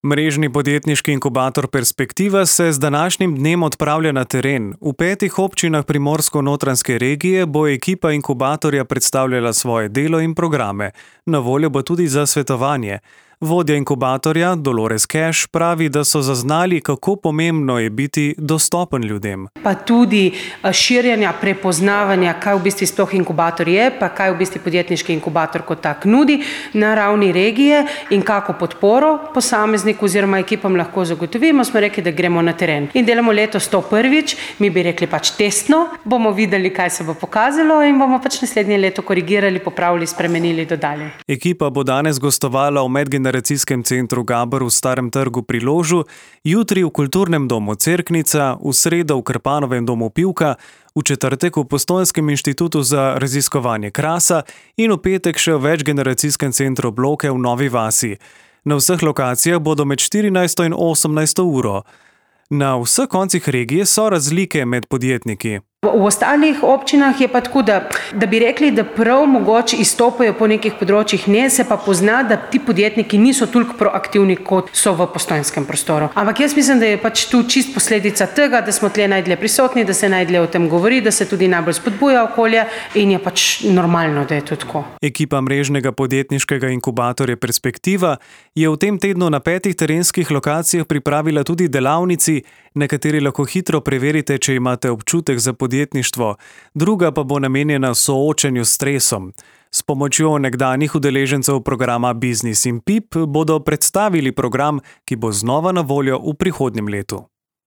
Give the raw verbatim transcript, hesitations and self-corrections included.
Mrežni podjetniški inkubator Perspektiva se z današnjim dnem odpravlja na teren. V petih občinah Primorsko-notranjske regije bo ekipa inkubatorja predstavljala svoje delo in programe. Na voljo bo tudi za svetovanje. Vodja inkubatorja Dolores Cash pravi, da so zaznali, kako pomembno je biti dostopen ljudem. Pa tudi širjenja prepoznavanja, kaj v bistvu sploh inkubator je, pa kaj v bistvu podjetniški inkubator kot tak nudi na ravni regije in kako podporo posamezniku oziroma ekipam lahko zagotovimo. Smo rekli, da gremo na teren. In delamo letos to prvič, mi bi rekli pač testno, bomo videli, kaj se bo pokazalo in bomo pač naslednje leto korigirali, popravili, spremenili, dodali. Ekipa bo danes gostovala v medgeneracijskem centru Gabr v Starem trgu pri Ložu, jutri v kulturnem domu Cerknica, v sredo v Krpanovem domu Pivka, v četrtek v Postojnskem inštitutu za raziskovanje Krasa in v petek še v večgeneracijskem centru Bloke v Novi vasi. Na vseh lokacijah bodo med štirinajsto in osemnajsto uro. Na vseh koncih regije so razlike med podjetniki. V ostalih občinah je pa tako, da, da bi rekli, da prav mogoče izstopajo po nekih področjih, ne, se pa pozna, da ti podjetniki niso toliko proaktivni, kot so v postojnskem prostoru. Ampak jaz mislim, da je pač tu čist posledica tega, da smo tle najdlje prisotni, da se najdlje o tem govori, da se tudi najbolj spodbuja okolje in je pač normalno, da je to tako. Ekipa mrežnega podjetniškega inkubatorja Perspektiva je v tem tednu na petih terenskih lokacijah pripravila tudi delavnici, na kateri lahko hitro preverite, če imate občutek za podjetništvo, druga pa bo namenjena soočanju s stresom. S pomočjo nekdanjih udeležencev programa Biznis in Pip bodo predstavili program, ki bo znova na voljo v prihodnjem letu.